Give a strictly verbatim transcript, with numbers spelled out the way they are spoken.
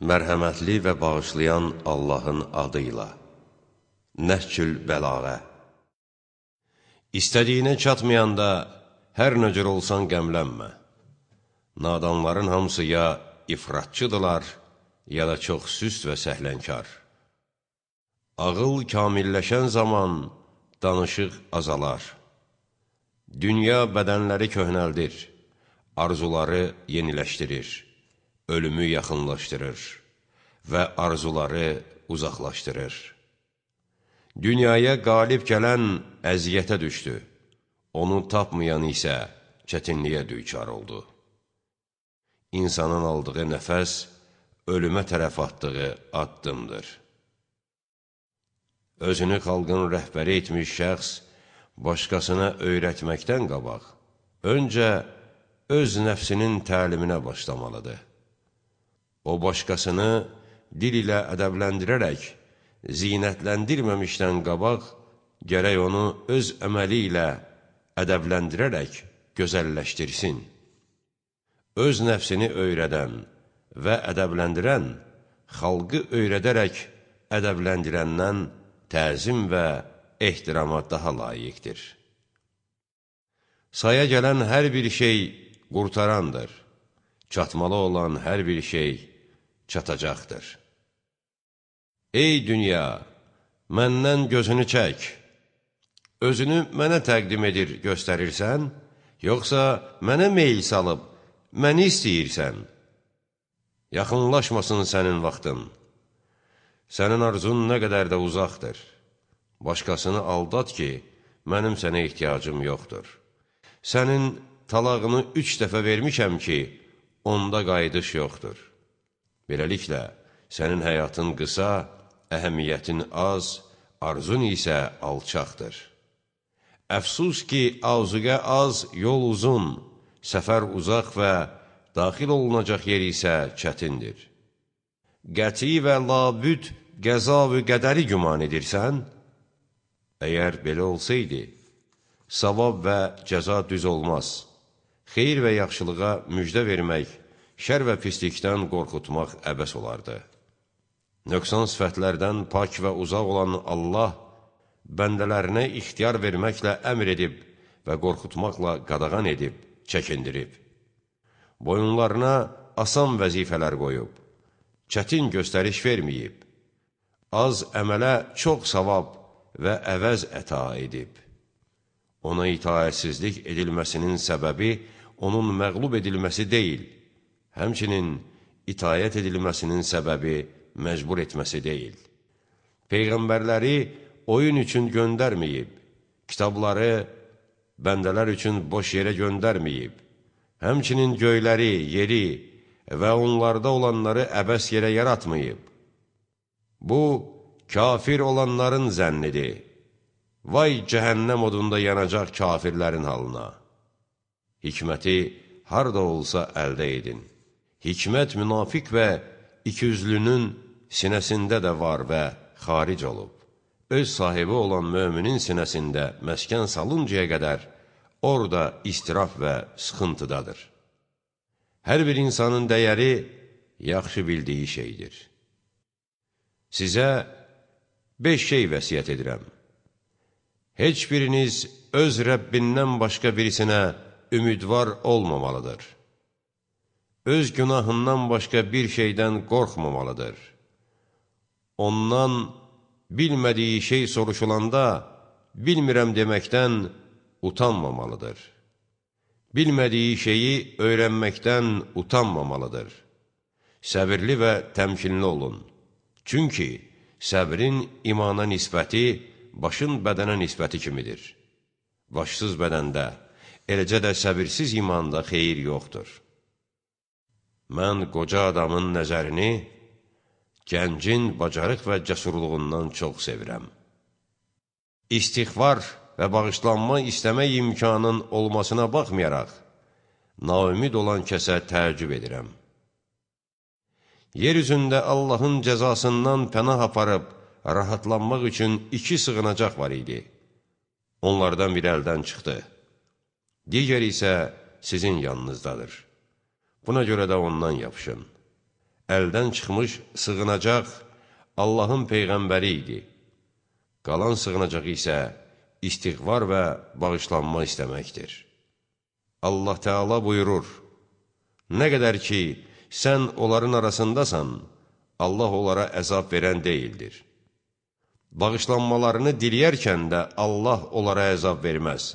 Mərhəmətli və bağışlayan Allahın adıyla. Nəhcül bəlağə. İstədiyinə çatmayanda hər nə cür olsan qəmlənmə. Nadanların hamısı ya ifratçıdırlar, ya da çox süst və səhlənkar. Ağıl kamilləşən zaman danışıq azalar. Dünya bədənləri köhnəldir, arzuları yeniləşdirir, ölümü yaxınlaşdırır və arzuları uzaqlaşdırır. Dünyaya qalib gələn əziyyətə düşdü, onu tapmayan isə çətinliyə düçar oldu. İnsanın aldığı nəfəs, ölümə tərəf atdığı addımdır. Özünü xalqın rəhbəri etmiş şəxs, başqasına öyrətməkdən qabaq, öncə öz nəfsinin təliminə başlamalıdır. O, başqasını dil ilə ədəbləndirərək, zinətləndirməmişdən qabaq, gərək onu öz əməli ilə ədəbləndirərək gözəlləşdirsin. Öz nəfsini öyrədən və ədəbləndirən, xalqı öyrədərək ədəbləndirəndən təzim və ehtirama daha layiqdir. Saya gələn hər bir şey qurtarandır, çatmalı olan hər bir şey çatacaqdır. Ey dünya, məndən gözünü çək, özünü mənə təqdim edir, göstərirsən, yoxsa mənə meyl salıb, məni istəyirsən? Yaxınlaşmasın sənin vaxtın, sənin arzun nə qədər də uzaqdır. Başqasını aldat ki, mənim sənə ehtiyacım yoxdur. Sənin talağını üç dəfə vermişəm ki, onda qayıdış yoxdur. Beləliklə, sənin həyatın qısa, əhəmiyyətin az, arzun isə alçaqdır. Əfsus ki, azuqə az, yol uzun, səfər uzaq və daxil olunacaq yer isə çətindir. Qəti və labüd qəza və qədəri güman edirsən? Əgər belə olsaydı, savab və cəza düz olmaz. Xeyir və yaxşılığa müjdə vermək, şər və pislikdən qorxutmaq əbəs olardı. Nöqsan sifətlərdən pak və uzaq olan Allah, bəndələrinə ixtiyar verməklə əmr edib və qorxutmaqla qadağan edib, çəkindirib. Boyunlarına asan vəzifələr qoyub, çətin göstəriş verməyib, az əmələ çox savab və əvəz əta edib. Ona itaətsizlik edilməsinin səbəbi onun məğlub edilməsi deyil, həmçinin itayət edilməsinin səbəbi məcbur etməsi deyil. Peyğəmbərləri oyun üçün göndərməyib, kitabları bəndələr üçün boş yerə göndərməyib, həmçinin göyləri, yeri və onlarda olanları əbəs yerə yaratmayıb. Bu, kafir olanların zənnidir. Vay cəhənnəm odunda yanacaq kafirlərin halına. Hikməti harda olsa əldə edin. Hikmət münafiq və ikiyüzlünün sinəsində də var və xaric olub. Öz sahibi olan möminin sinəsində məskən salıncaya qədər orada istiraf və sıxıntıdadır. Hər bir insanın dəyəri yaxşı bildiyi şeydir. Sizə beş şey vəsiyyət edirəm. Heç biriniz öz Rəbbindən başqa birisinə ümidvar olmamalıdır. Öz günahından başqa bir şeydən qorxmamalıdır. Ondan bilmədiyi şey soruşulanda, bilmirəm deməkdən utanmamalıdır. Bilmədiyi şeyi öyrənməkdən utanmamalıdır. Səbirli və təmkinli olun. Çünki səbrin imana nisbəti, başın bədənə nisbəti kimidir. Başsız bədəndə, eləcə də səbirsiz imanda xeyir yoxdur. Mən qoca adamın nəzərini gəncin bacarıq və cəsurluğundan çox sevirəm. İstiğfar və bağışlanma istəmək imkanın olmasına baxmayaraq, naümid olan kəsə təəccüb edirəm. Yer üzündə Allahın cəzasından pənah aparıb, rahatlanmaq üçün iki sığınacaq var idi. Onlardan biri əldən çıxdı. Digər isə sizin yanınızdadır. Buna görə də ondan yapışın. əldən çıxmış sığınacaq Allahın Peyğəmbəri idi. Qalan sığınacaq isə istiğvar və bağışlanma istəməkdir. Allah Teala buyurur, nə qədər ki, sən onların arasındasan, Allah onlara əzab verən deyildir. Bağışlanmalarını diləyərkən də Allah onlara əzab verməz.